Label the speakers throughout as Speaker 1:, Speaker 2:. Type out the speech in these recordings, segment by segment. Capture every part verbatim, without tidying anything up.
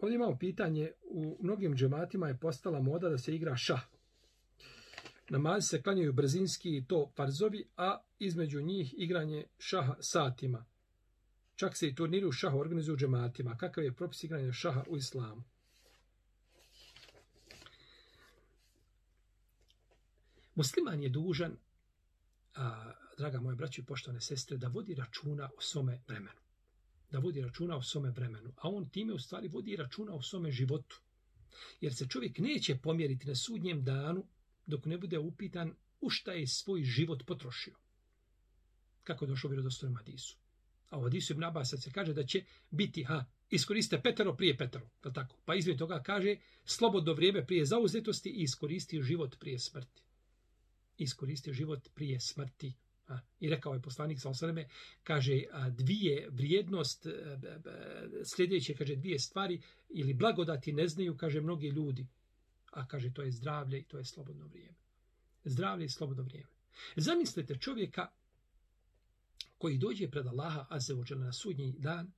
Speaker 1: Ovdje imamo pitanje, u mnogim džematima je postala moda da se igra šah. Namazi se klanjaju brzinski i to farzovi, a između njih igranje šaha satima. Čak se i turniri u šahu organizuju u džematima. Kakav je propis igranja šaha u islamu? Musliman je dužan, a, draga moje braće i poštovane sestre, da vodi računa o svome vremenu. Da vodi računa o svome vremenu. A on time u stvari vodi računa o svome životu. Jer se čovjek neće pomjeriti na sudnjem danu dok ne bude upitan u šta je svoj život potrošio. Kako je došlo u vjerodostojnom hadisu. A u hadisu Ibn Abasa se kaže da će biti, ha, iskoriste petero prije petero. Tako? Pa između toga kaže slobodno vrijeme prije zauzetosti i iskoristi život prije smrti. Iskoristi život prije smrti. A, I rekao je poslanik sa osvrame, kaže, a, dvije vrijednost, a, a, sljedeće, kaže, dvije stvari ili blagodati ne znaju, kaže, mnogi ljudi. A kaže, to je zdravlje i to je slobodno vrijeme. Zdravlje i slobodno vrijeme. Zamislite čovjeka koji dođe pred Allaha azza wa dželle na sudnji dan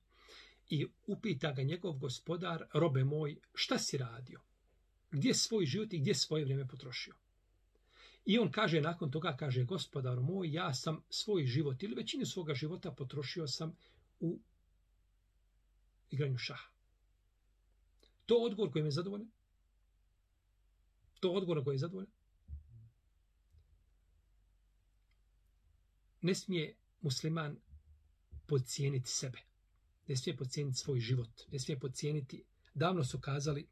Speaker 1: i upita ga njegov gospodar, robe moj, šta si radio? Gdje svoj život i gdje svoje vrijeme potrošio? I on kaže, nakon toga kaže, gospodaru moj, ja sam svoj život ili većinu svoga života potrošio sam u igranju šaha. To odgovor koji me zadovoljan? To odgovor koji je zadovoljan? Ne smije musliman podcijeniti sebe. Ne smije podcijeniti svoj život. Ne smije podcijeniti. Davno su kazali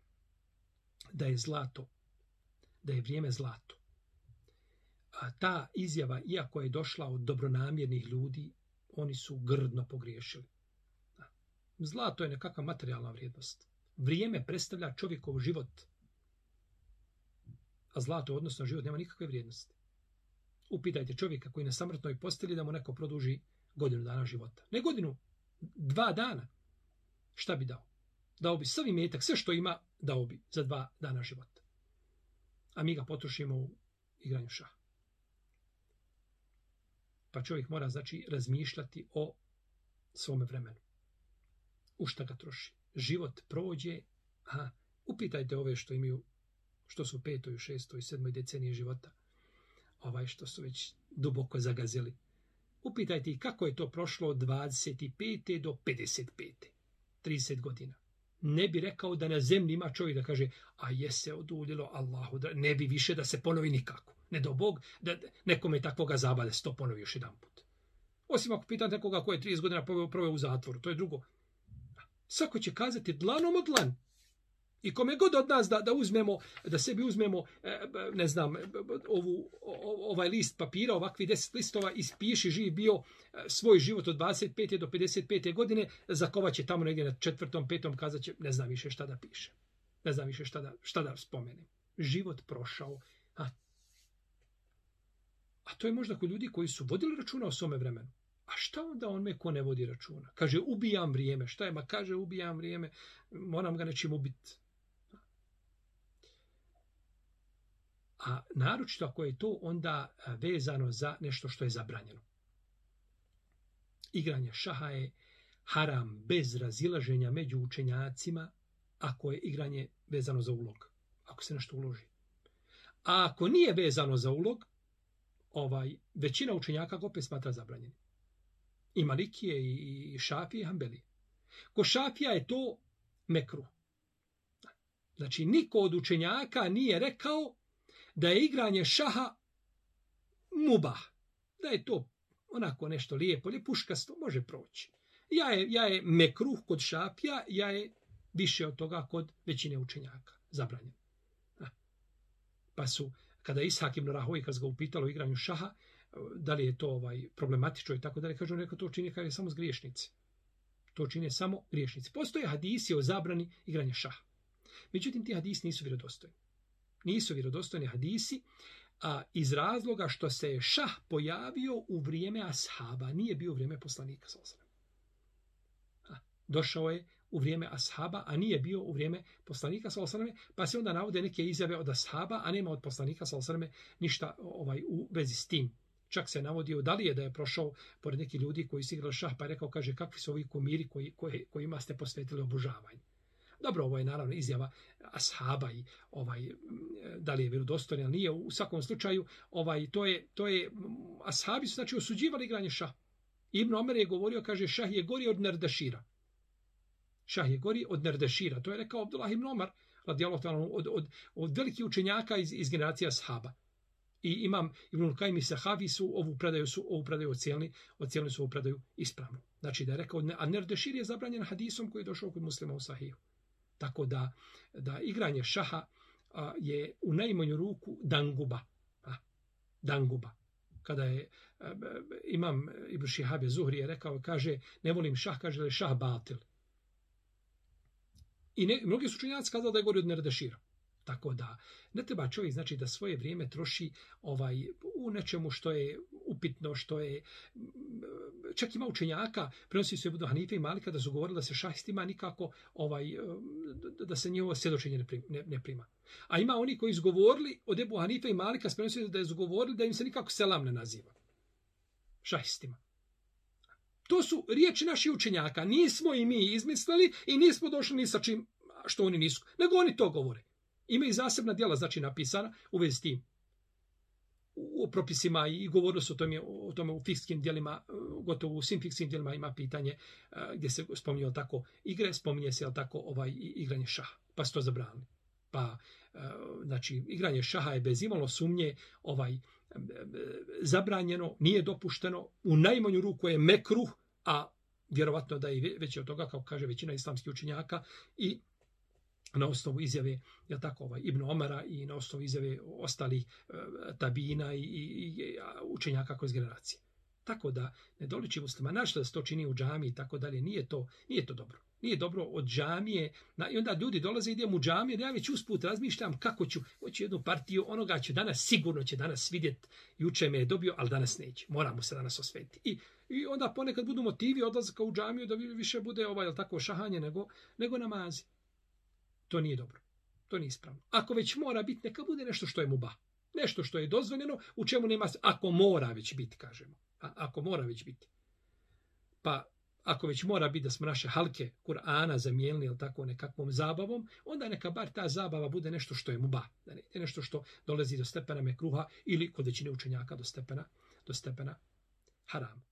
Speaker 1: da je zlato, da je vrijeme zlato. A ta izjava, iako je došla od dobronamjernih ljudi, oni su grdno pogriješili. Zlato je nekakva materijalna vrijednost. Vrijeme predstavlja čovjekov život. A zlato, odnosno život, nema nikakve vrijednosti. Upitajte čovjeka koji na samrtnoj posteli da mu neko produži godinu dana života. Ne godinu, dva dana. Šta bi dao? Dao bi sav imetak, sve što ima, dao bi za dva dana života. A mi ga potrošimo u igranju šaha. Pa čovjek mora, znači, razmišljati o svome vremenu. U šta ga troši? Život prođe, a upitajte ove što imaju, što su u petoj, u šestoj, sedmoj deceniji života, ovaj što su već duboko zagazili. Upitajte ih kako je to prošlo od dvadeset pete do pedeset pete. trideset godina. Ne bi rekao da na zemlji ima čovjek da kaže, a je se oduljilo Allahu, da ne bi više da se ponovi nikako. Ne do Bog, da nekome takvoga zabade sto ponovi još jedan put. Osim ako pitate nekoga ko je trideset godina proveo u zatvoru, to je drugo. Svako će kazati dlanom od dlan. I kome god od nas da, da uzmemo, da sebi uzmemo, ne znam, ovu, ovaj list papira, ovakvi deset listova, ispiši živ bio svoj život od dvadeset pete do pedeset pete godine, zakovat će tamo negdje na četvrtom, petom, kazat će, ne znam više šta da piše. Ne znam više šta da, šta da spomenem. Život prošao. A, a to je možda kod ljudi koji su vodili računa o svome vremenu. A šta onda on me ko ne vodi računa? Kaže, ubijam vrijeme. Šta je? Ma kaže, ubijam vrijeme. Moram ga nečim ubiti. A naročito ako je to onda vezano za nešto što je zabranjeno. Igranje šaha je haram bez razilaženja među učenjacima ako je igranje vezano za ulog. Ako se nešto uloži. A ako nije vezano za ulog, ovaj, većina učenjaka ga opet smatra zabranjenim. I Malikije, i Šafije, i Hanbelije. Ko Šafija je to mekruh. Znači, niko od učenjaka nije rekao da je igranje šaha mubah. Da je to onako nešto lijepo, lijepuškasto, može proći. Ja je, ja je mekruh kod Šafija, ja je više od toga kod većine učenjaka. Zabranjen. Pa su, kada Ishak ibn Rahovi, kad ga upitalo o igranju šaha, da li je to ovaj problematično i tako dalje, kaže on, rekao, to čini kaže samo griješnici. To čine samo griješnici. Postoje hadisi o zabrani igranja šaha. Međutim, ti hadisi nisu vjerodostojni. Nisu vjerodostojni hadisi, a iz razloga što se je šah pojavio u vrijeme ashaba, nije bio u vrijeme poslanika sallallahu alejhi ve sellem. Došao je u vrijeme ashaba, a nije bio u vrijeme poslanika sallallahu alejhi ve sellem, pa se onda navode neke izjave od ashaba, a nema od poslanika sallallahu alejhi ve sellem ništa ovaj u vezi s tim. Čak se navodio da li je da je prošao pored neki ljudi koji su igrali šah, pa je rekao, kaže, kakvi su ovi kumiri koji, koji, kojima ste posvetili obožavanje. Dobro, ovo je naravno izjava ashaba i ovaj, da li je vjerodostojno ili nije, u svakom slučaju, ovaj, to je, to je, ashabi su znači osuđivali igranje šah. Ibn Omer je govorio, kaže, šah je gori od nerdašira. Šah je gori od nerdašira. To je rekao Abdullah ibn Omer, radijallahu ta'ala, od, od, od velikih učenjaka iz, iz generacije ashaba. I imam Ibn Kajim i Sahavi su ovu predaju, su, ovu predaju ocijelili, ocijelili su ovu predaju ispravno. Znači da je rekao, a nerdešir je zabranjen hadisom koji je došao kod muslima u Sahihu. Tako da, da igranje šaha a, je u najmanju ruku danguba. A, danguba. Kada je a, imam Ibn Šihabe Zuhri je rekao, kaže, ne volim šah, kaže da je šah batil. I ne, mnogi su učenjaci kazali da je gori od nerdešira. Tako da ne treba čovjek znači da svoje vrijeme troši ovaj u nečemu što je upitno, što je čak ima učenjaka, prenosi se Ebu Hanife i Malika da su govorili da se šahistima nikako ovaj da se njihovo svjedočenje ne, ne, ne prima. A ima oni koji su govorili od Ebu Hanife i Malika, prenosi se da su govorili da im se nikako selam ne naziva. Šahistima. To su riječi naših učenjaka. Nismo i mi izmislili i nismo došli ni sa čim što oni nisu. Nego oni to govore. Ima i zasebna djela, znači napisana u vezi s tim. U propisima i govorilo se o tome, o tome u fikskim djelima, gotovo u svim fikskim djelima ima pitanje gdje se spominje tako igre, spominje se tako ovaj igranje šaha, pa su to zabranili. Pa, znači, igranje šaha je bez imalo sumnje ovaj zabranjeno, nije dopušteno, u najmanju ruku je mekruh, a vjerovatno da je veći od toga, kao kaže većina islamskih učenjaka, i na osnovu izjave ja tako ovaj Ibn Omara i na osnovu izjave ostalih e, tabina i, i, i učenjaka kroz generacije. Tako da ne doliči muslima, našto da se to čini u džamiji i tako dalje, nije to, nije to dobro. Nije dobro od džamije, na, i onda ljudi dolaze, idem u džamiju, ja već usput razmišljam kako ću, hoću jednu partiju, onoga ću danas, sigurno će danas vidjeti, juče me je dobio, ali danas neće, moramo se danas osvetiti. I, i onda ponekad budu motivi odlazaka u džamiju da više bude ovaj, tako šahanje nego, nego namazi. To nije dobro. To nije ispravno. Ako već mora biti, neka bude nešto što je mubah. Nešto što je dozvoljeno, u čemu nema... Ako mora već biti, kažemo. A, ako mora već biti. Pa, ako već mora biti da smo naše halke Kur'ana zamijenili ili tako nekakvom zabavom, onda neka bar ta zabava bude nešto što je mubah. Da ne, nešto što dolazi do stepena mekruha ili kod većine učenjaka do stepena, do stepena harama.